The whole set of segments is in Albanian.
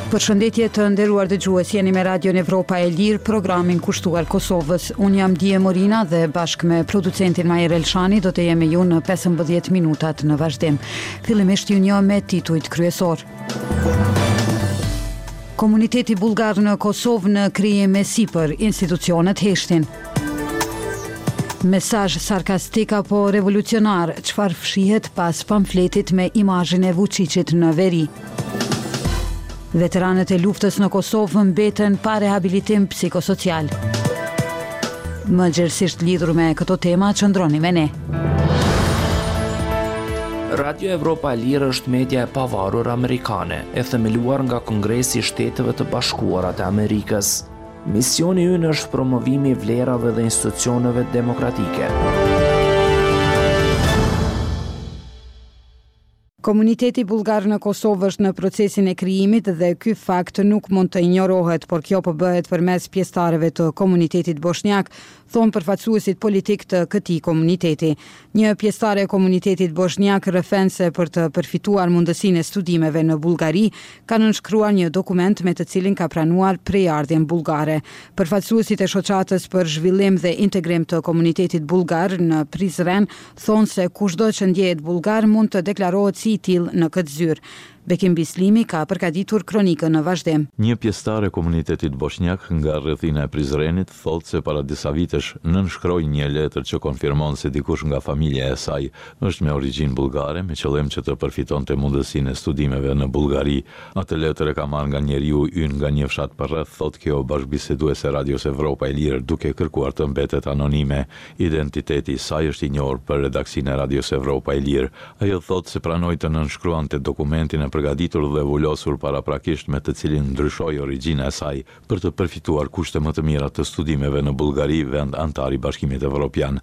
Përshëndetje të nderuar dëgjues, jeni me Radion Evropa e Lirë, programin kushtuar Kosovës. Unë jam Die Morina dhe bashkë me producentin Majer Elshani do të jem me ju në 15 minutat në vazhdim. Fillimisht ju njoh me titujt kryesorë. Komuniteti bullgar në Kosovë në krijim e sipër, institucionet heshtin. Mesazh sarkastik apo revolucionar, çfarë fshihet pas pamfletit me imazhin e Vuçiqit në veri? Veteranët e luftës në Kosovë mbeten pa rehabilitim psikosocial. Më gjerësisht lidhur me këto tema, qëndroni me ne. Radio Evropa e Lirë është media e pavarur amerikane, e themeluar nga Kongresi i Shteteve të Bashkuara të Amerikës. Misioni ynë është promovimi i vlerave dhe institucioneve demokratike. Komuniteti bullgar në Kosovë është në procesin e krijimit dhe ky fakt nuk mund të injorohet, por kjo po bëhet përmes pjesëtarëve të komunitetit boshnjak, thonë përfaqësuesit politikë të këtij komuniteti. Një pjesëtare e komunitetit boshnjak rrëfen se për të përfituar mundësinë e studimeve në Bullgari, ka nënshkruar një dokument me të cilin ka pranuar prejardhjen bullgare. Përfaqësuesit e Shoqatës për Zhvillim dhe Integrim të Komunitetit Bullgar në Prizren thonë se kushdo që ndjehet bullgar mund të deklarohet si i tillë në këtë zyrë. Bekim Bislimi ka përgatitur kronikën në vazhdim. Një pjesëtare e komunitetit boshnjak nga rrethina e Prizrenit thotë se para disa vitesh nënshkroi një letër që konfirmon se dikush nga familja e saj është me origjinë bullgare me qëllim që të përfitonte mundësinë e studimeve në Bullgari. Atë letër e kam marrë nga njeriu ynë nga një fshat përreth, thotë kjo bashkëbiseduese e Radios Evropa e Lirë duke kërkuar të mbetet anonime. Identiteti i saj është i njohur për redaksinë e Radios Evropa e Lirë. Ajo thotë se pranoi të nënshkruante dokumentin e përgatitur dhe vulosur paraprakisht me të cilin ndryshoi origjina e saj për të përfituar kushte më të mira të studimeve në Bullgari, vend anëtar i Bashkimit Evropian.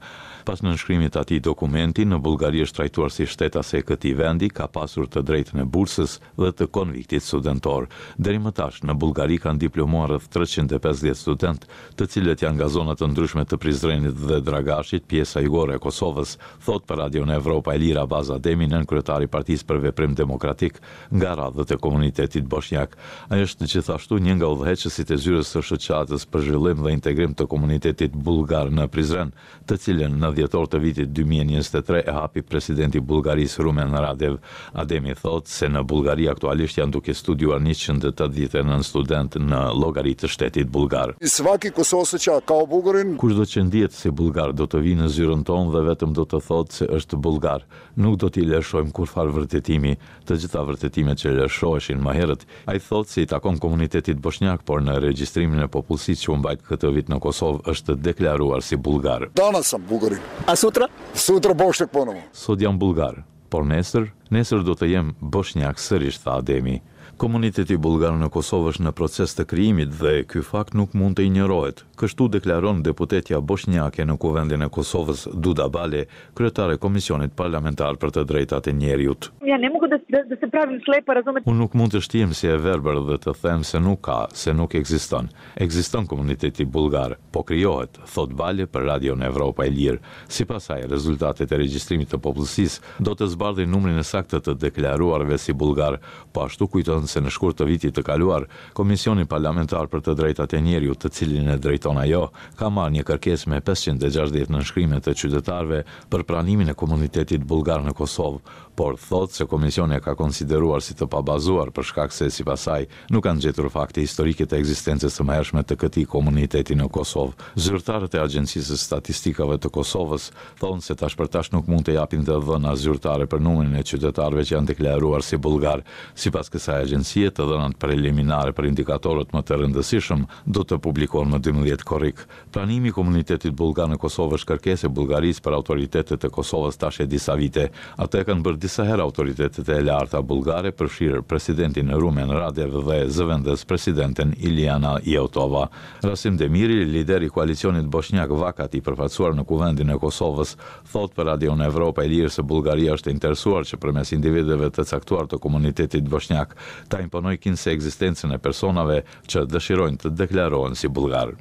Pas nënshkrimit të atij dokumenti, në Bullgari është trajtuar si shtetase e këtij vendi, ka pasur të drejtën e bursës dhe të konviktit studentor. Deri më tash, në Bullgari kanë diplomuar rreth 350 studentë, të cilët janë nga zona të ndryshme të Prizrenit dhe Dragashit, pjesa jugore e Kosovës, thotë për Radion Evropa e Lirë Abaz Ademi, nënkryetar i Partisë për Veprim Demokratik, nga radhët e komunitetit boshnjak. Ai është gjithashtu një nga udhëheqësit e zyrës së Shoqatës për Zhvillim dhe Integrim të Komunitetit Bullgar në Prizren, të cilën në dhjetor të vitit 2023 e hapi presidenti i Bullgarisë Rumen Radev. Ademi thotë se në Bullgari aktualisht janë duke studiuar 189 studentë në llogari të shtetit bullgar. Svaki ko se oseća kao Bugarin. Kushdo që ndihet si bullgar do të vijë në zyrën tonë dhe vetëm do të thotë se është bullgar. Nuk do t'i lëshojmë kurrfarë vërtetimi. Të gjitha vërtetimet që lëshoheshin më herët, ai thotë se i takon komunitetit boshnjak, por në regjistrimin e popullsisë që u mbajt këtë vit në Kosovë është deklaruar si bullgar. Danas sam Bugarin. A sutra? Sutra Bošnjak ponovo. Sot jam bullgar, por nesër, nesër do të jem boshnjak sërish, tha Ademi. Komuniteti bullgar në Kosovë është në proces të krijimit dhe ky fakt nuk mund të injorohet. Kështu deklaron deputetja boshnjake në Kuvendin e Kosovës, Duda Bale, kryetare e Komisionit Parlamentar për të Drejtat e Njeriut. Ja ne mogu da da se pravim slepa, razumete. Unë nuk mund të shtihem si e verbër dhe të them se nuk ka, se nuk ekziston. Ekziston komuniteti bullgar, po krijohet, thotë Bale për Radion Evropa e Lirë. Sipas saj, rezultatet e regjistrimit të popullsisë do të zbardhin numrin e saktë të të deklaruarve si bullgarë. Po ashtu kujton se në shkurt të vitit të kaluar, Komisioni Parlamentar për të Drejtat e Njeriut, të cilin e drejton ajo, ka marrë një kërkesë me 560 nënshkrime të qytetarëve për pranimin e komunitetit bullgar në Kosovë, por thotë se komisioni e ka konsideruar si të pabazuar për shkak se, sipas saj, nuk kanë gjetur fakte historike të ekzistencës së mëhershme të këtij komuniteti në Kosovë. Zyrtarët e Agjencisë së Statistikave të Kosovës thonë se tash për tash nuk mund të japin të dhëna zyrtare për numrin e qytetarëve që janë deklaruar si bullgarë. Sipas kësaj agjencie, të dhënat preliminare për indikatorët më të rëndësishëm do të publikohen më 12 korrik. Pranimi i komunitetit bullgar në Kosovë është kërkesë e Bullgarisë për autoritetet e Kosovës tash e disa vite. Atë e kanë bërë disa. disa herë autoritetet e larta bullgare, përfshirë presidentin Rumen Radev dhe zëvendëspresidenten Iliana Jotova. Rasim Demiri, lider i koalicionit boshnjak Vakat i përfaqësuar në Kuvendin e Kosovës, thotë për Radion Evropa e Lirë se Bullgaria është e interesuar që përmes individëve të caktuar të komunitetit boshnjak ta imponojë kinse ekzistencën e personave që dëshirojnë të deklarohen si bullgarë.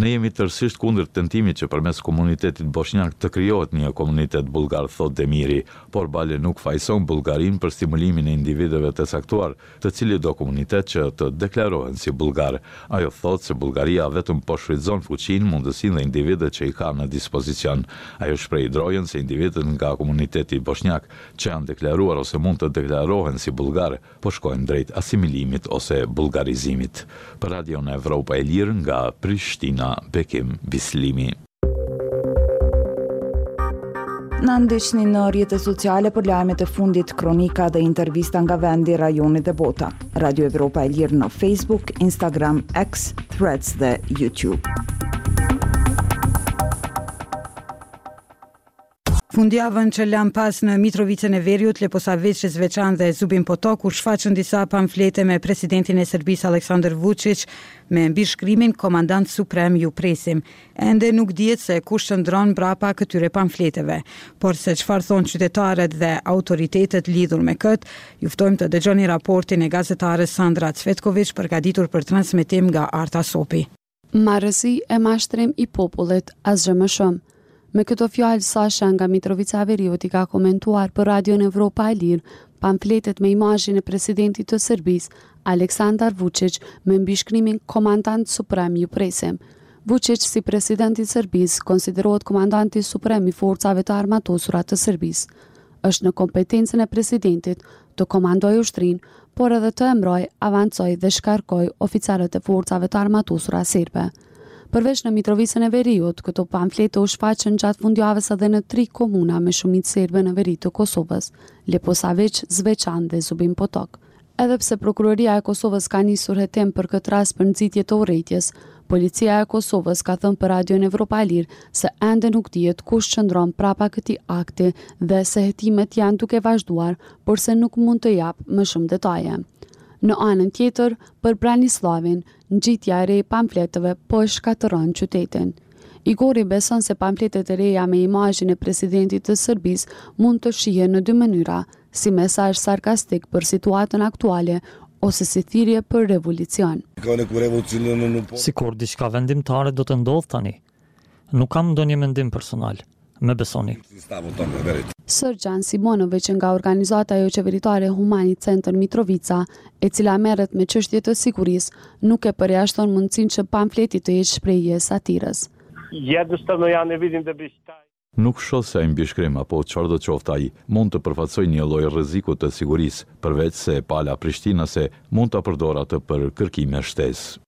Ne jemi tërësisht kundër tentimit që përmes komunitetit boshnjak të krijohet një komunitet bullgar, thotë Demiri, por bile nuk fajëson Bullgarinë për stimulimin e individëve të caktuar të cilitdo komunitet që të deklarohen si bullgarë. Ajo thotë se Bullgaria vetëm po shfrytëzon fuqinë, mundësinë dhe individët që i ka në dispozicion. Ajo shpreh drojën se individët nga komuniteti boshnjak që janë deklaruar ose mund të deklarohen si bullgarë, po shkojnë drejt asimilimit ose bullgarizimit. Për Radion Evropa e Lirë nga Prishtina, Bekim Bislimi. Na ndiqni në rrjetet sociale për lajmet e fundit, kronika dhe intervista nga vendi, rajoni dhe bota. Radio Evropa e Lirë në Facebook, Instagram, X, Threads dhe YouTube. Fundjavën që lamë pas në Mitrovicën e Veriut, Leposaviq, Zveçan dhe Zubin Potok u shfaqën disa pamflete me presidentin e Serbisë Aleksandër Vuçiq me mbishkrimin Komandant Suprem ju presim. Ende nuk dihet se kush qëndron mbrapa këtyre pamfleteve, por se çfarë thonë qytetarët dhe autoritetet lidhur me këtë, ju ftojmë të dëgjoni raportin e gazetares Sandra Cvetkoviq përgatitur për transmetim nga Arta Sopi. Marrëzi e mashtrim i popullit, asgjë më shumë. Me këto fjalë Sasha nga Mitrovica e Veriut i ka komentuar për Radion Evropa e Lirë pamfletet me imazhin e presidentit të Serbisë, Aleksandar Vuçiq me mbishkrimin Komandant Suprem ju presim. Vuçiq si president i Serbisë konsiderohet komandanti suprem i forcave të armatosura të Serbisë. Është në kompetencën e presidentit të komandojë ushtrinë, por edhe të emërojë, avancojë dhe shkarkojë oficerët e forcave të armatosura serbe. Përveç në Mitrovicën e Veriut, këto pamflete u shfaqën gjatë fundjavës edhe në tri komuna me shumicë serbe në veri të Kosovës, Leposaviq, Zveçan dhe Zubin Potok. Edhe pse Prokuroria e Kosovës ka nisur hetim për këtë rast për nxitje të urrejtjes, Policia e Kosovës ka thënë për Radion Evropa e Lirë se ende nuk dihet kush qëndron prapa këtij akti dhe se hetimet janë duke vazhduar, por se nuk mund të japë më shumë detaje. Në anën tjetër, për Branisllavin, ngjitja e re e pamfleteve po e shkatërron qytetin. Igori beson se pamfletet e reja me imazhin e presidentit të Serbisë mund të shihen në dy mënyra, si mesazh sarkastik për situatën aktuale ose si thirrje për revolucion. Sikur diçka vendimtare do të ndodhë tani. Nuk kam ndonjë mendim personal, më besoni. Sërgjan Simonoviq nga organizata joqeveritare Humani Centar Mitrovica, e cila merret me çështje të sigurisë, nuk e përjashton mundësinë që pamfleti të jetë shprehje e satirës. Nuk shoh se ai mbishkrim apo çfarëdo qoftë ai, mund të përfaqësojë një lloj rreziku të sigurisë, përveç se pala prishtinase mund ta përdorë atë për kërkime shtesë.